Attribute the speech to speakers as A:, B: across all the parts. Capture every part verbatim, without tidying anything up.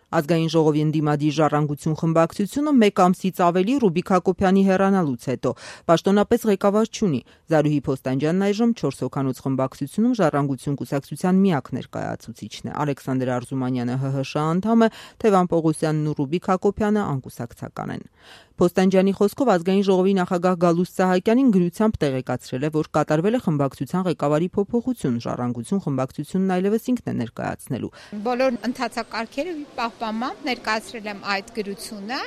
A: Ազգային ժողովի ընդդիմադիր Ժառանգություն խմբակցությունը մեկ ամսից ավելի Ռուբիկ Հակոբյանի հեռանալուց հետո պաշտոնապես ղեկավար չունի։ Զարուհի Փոստանջյանն այժմ չորս հոգանոց խմբակցությունում Ժառանգություն կուսակցության միակ ներկայացուցիչն է։ Ալեքսանդր Արզումանյանը ՀՀՇ անդամ է, Թևան Պողոսյանն ու Ռուբիկ Հակոբյանը անկուսակցական են։ Փոստանջյանի խոսքով Ազգային ժողովի նախագահ Գալուստ Սահակյանին գրությամբ տեղեկացրել է, որ կատարվել է խմբակցության ղեկավարի փոփոխություն, Ժառանգություն խմբակցությունն այլևս ինքն է ներկայացնելու։
B: Բոլոր ընթացակարգերը պահպանմամբ ներկայացրել եմ այդ գրությունը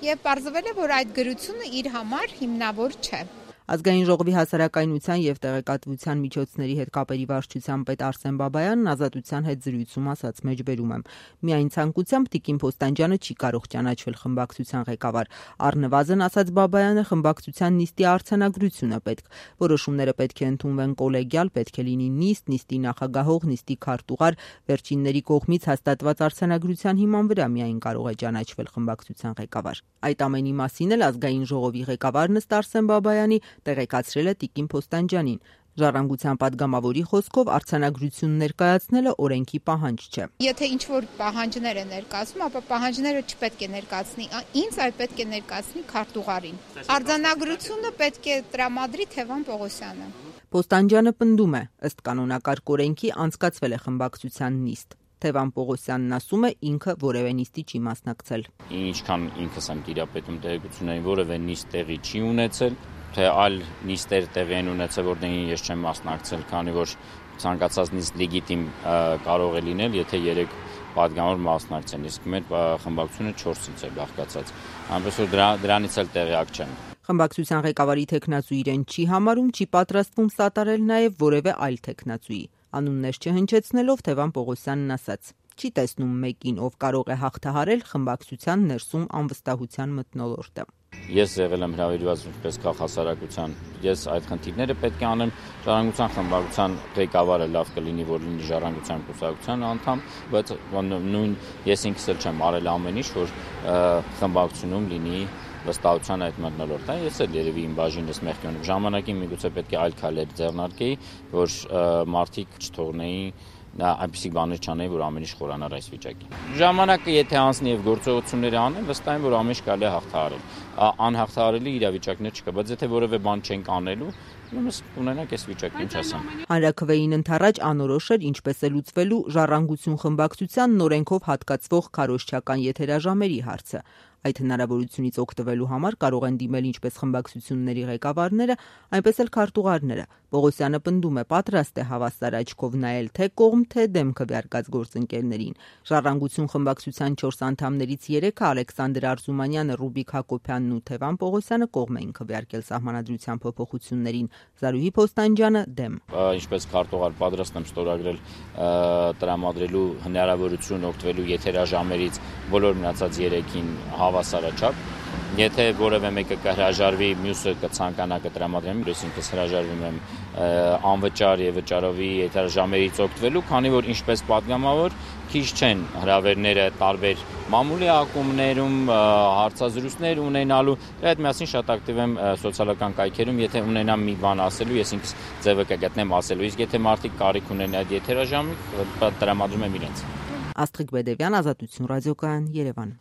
B: եւ պարզվել է, որ այդ գրությունը իր համար հիմնավոր չէ։
A: Ազգային ժողովի հասարակայնության եւ տեղեկատվության միջոցների հետ կապերի վարչության պետ Արսեն Բաբայանն Ազատության հետ զրույցում ասաց. «Մեջբերում եմ. միայն ցանկությամբ Տիկին Փոստանջյանը չի կարող ճանաչվել խմբակցության ղեկավար։ Առնվազն, ասաց Բաբայանը, խմբակցության նիստի արձանագրությունը պետք։ Որոշումները պետք է ընդունվեն կոլեգիալ, պետք է լինի նիստ, նիստի նախագահող, նիստի քարտուղար, վերջինների կողմից հաստատված արձանագրության հիման վրա միայն կարող է ճանաչվել խմբակցության ղեկավար»։ Այդ ամենի մասին էլ Ազգային ժողովի ղեկավարն ըստ Արսեն Բաբայանի տեղեկացրել է Տիկին Փոստանջյանին։ Ժառանգության падգամավորի խոսքով արձանագրություն ներկայացնելը օրենքի պահանջ չէ։
B: Եթե ինչ-որ պահանջներ է ներկայացնում, ապա պահանջները չպետք է ներկայացնի ինձ, այլ պետք է ներկայացնի քարտուղարին։ Արձանագրությունը պետք է տրամադրի Թևան Պողոսյանը։
A: Փոստանջյանը պնդում է, ըստ կանոնակարգ օրենքի անցկացվել է խմբակցության նիստ։ Թևան Պողոսյանն ասում է, ինքը որևէ նիստի չի մասնակցել։
C: Ինչքան ինքս եմ տիրապետում տեղեկություններին, որևէ նիստ տեղի չի ունեցել, թե այլ նիստեր տեղի են ունեցել, որտեղին ես չեմ մասնակցել, քանի որ ցանկացած նիստ լեգիտիմ կարող է լինել, եթե երեք падգամավոր մասնակցեն, իսկ մեր խմբակցությունը չորսից է բաղկացած, այնպես որ դրա, դրանից էլ տեղյակ չեմ։
A: Խմբակցության ղեկավարի թեկնածու իրեն չի համարում, չի պատրաստվում սատարել նաև որևէ այլ թեկնածուի։ Անուններ չհնչեցնելով Թևան Պողոսյանն ասաց. չի տեսնում մեկին, ով կարող է հաղթահարել խմբակցության ներսում անվստահության մթնոլորտը։
C: Ես եղել եմ հրավիրված ինչպես քաղաքասարակության, ես այդ խնդիրները պետք է անեմ, Ժառանգության խմբակցության ղեկավարը լավ կլինի, որ լինի Ժառանգության կուսակցության անդամ, բայց նույն ես ինքս էլ չեմ արել ամեն ինչ, որ խմբակցությունում լինի վստահության այդ մթնոլորտը։ Ես էլ երևի իմ բաժինս մեղքի ունեմ։ Ժամանակին միգուցե պետք է այլ քայլեր ձեռնարկեի, որ մարդիկ չթողնեին այնպիսի բաներ չանեի, որ ամեն ինչ խորանար այս վիճակին։ Ժամանակը եթե անցնի եւ գործողությունները անեն, վստահ եմ, որ ամեն ինչ կարելի է հաղթահարել։ Անհաղթահարելի իրավիճակներ չկա, բայց եթե որևէ բան չենք անելու, ուրեմն ունենանք այս վիճակը, ինչ ասեմ։
A: Հանրաքվեին ընթառաջ անորոշ էր ինչպես է լուծվելու Ժառանգություն խմբակցության նորենքով հատկացվող քարոզչական եթերաժամերի հարցը։ Այդ հնարավորությունից օգտվելու համար կարող են դիմել ինչպես խմբակցությունների ղեկավարները, այնպես էլ քարտուղարները։ Պողոսյանը պնդում է, պատրաստ է հավասար աչքով նայել թե կողմ, թե դեմ քվեարկած գործընկերներին։ Ժառանգություն խմբակցության չորս անդամներից երեքը Ալեքսանդր Արզումանյանը, Ռուբիկ Հակոբյանն ու Թևան Պողոսյանը կողմ էին քվեարկել սահմանադրության փոփոխություններին։ Զարուհի Փոստանջյանը դեմ։
C: Ինչպես քարտուղար պատրաստ եմ ստորագրել տրամադրելու հնարավորություն օգտվելու եթերաժամերից բոլոր մնացած երեքին հավասարաչափ։ Եթե որևէ մեկը կհրաժարվի, մյուսը կցանկանա կտրամադրեմ, ես ինքս հրաժարվում եմ անվճար եւ վճարովի եթերաժամերից օգտվելու, քանի որ ինչպես падգամավոր քիչ չեն հրավերները տարբեր մամուլի ակումբներում հարցազրույցներ ունենալու, այդ միասին շատ ակտիվ եմ սոցիալական կայքերում, եթե ունենամ մի բան ասելու, ես ինքս ձևը կգտնեմ ասելու, իսկ եթե մարդիկ կարիք ունեն այդ եթերաժամի, տրամադրում եմ իրենց։
A: Աստղիկ Բեդևյան, Ազատություն ռադիոկայան, Երևան։